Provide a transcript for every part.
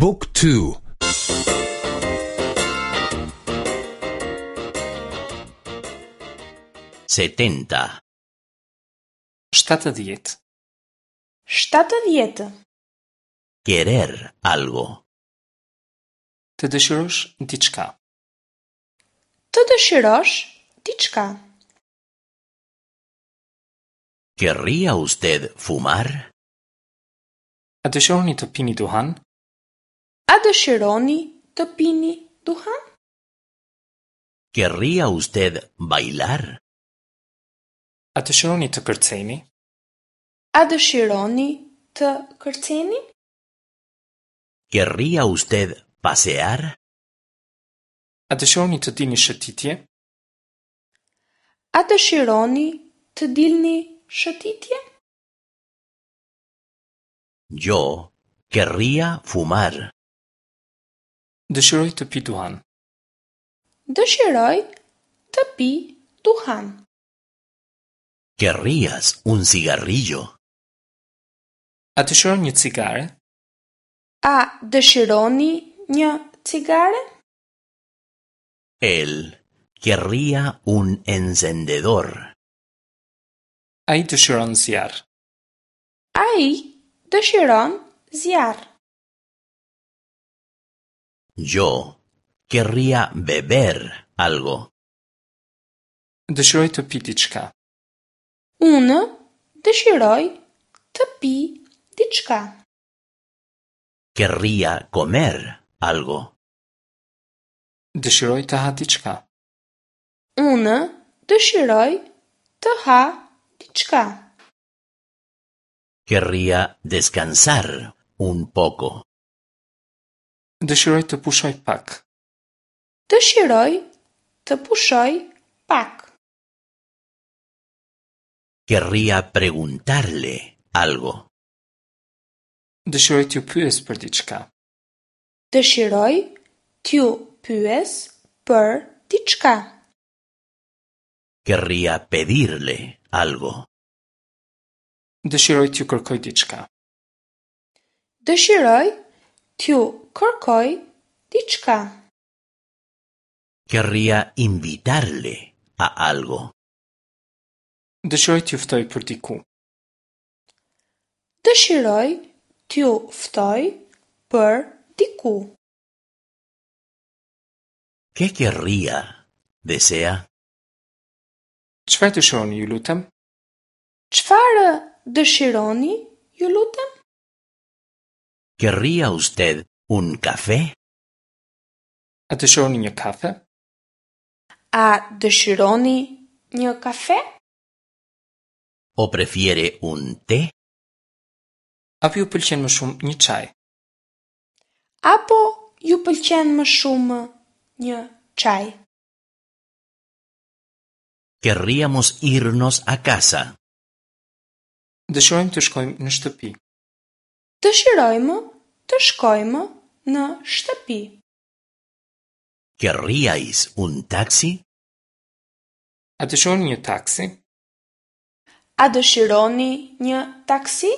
บุ๊กทู 70. 70. 70. Querer algo. Të dëshirosh diçka. Të dëshirosh diçka. ¿Querría usted fumar? A dëshironi të pini duhan? A dëshironi të pini duhan? ¿Querría usted bailar? A dëshironi të kërceni? A dëshironi të kërceni? ¿Querría usted pasear? A dëshironi të dilni shëtitje? A dëshironi të dilni shëtitje? Yo querría fumar. Dëshiroj të pi duhan. Dëshiroj të pi duhan. ¿Querrías un cigarrillo? A dëshiron një cigare? A dëshironi një cigare? Él querría un encendedor. Ai dëshiron zjarr. Ai dëshiron zjarr. Yo querría beber algo. Dëshiroj të pi diçka. Unë dëshiroj të pi diçka. Querría comer algo. Dëshiroj të ha diçka. Unë dëshiroj të ha diçka. Querría descansar un poco. Dëshiroj të pushoj pak. Dëshiroj të pushoj pak. Querría preguntarle algo. Dëshiroj t'ju pyes për diçka. Dëshiroj t'ju pyes për diçka. Querría pedirle algo. Dëshiroj t'ju kërkoj diçka. Dëshiroj t'ju kërkoj diçka. Querría invitarle a algo. Dëshiroj t'ju ftoj për diku. Dëshiroj t'ju ftoj për diku. ¿Qué querría? Desea. Çfarë dëshironi, ju lutem? Çfarë dëshironi, ju lutem? ¿Querría usted un café? A dëshironi një kafe? A dëshironi një kafe? ¿O prefiere un té? Apo ju pëlqen më shumë një çaj? Apo ju pëlqen më shumë një çaj? Querríamos irnos a casa. Dëshirojmë të shkojmë në shtëpi. Dëshirojmë të shkojmë në shtëpi. ¿Querríais un taxi? A dëshironi një taksi? A dëshironi një taksi?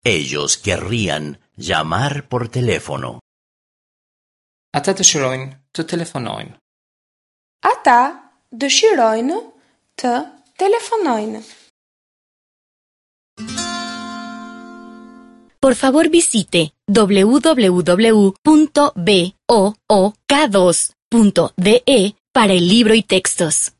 Ellos querrían llamar por teléfono. Ata dëshirojnë të telefonojnë. Ata dëshirojnë të telefonojnë. Por favor visite www.book2.de para el libro y textos.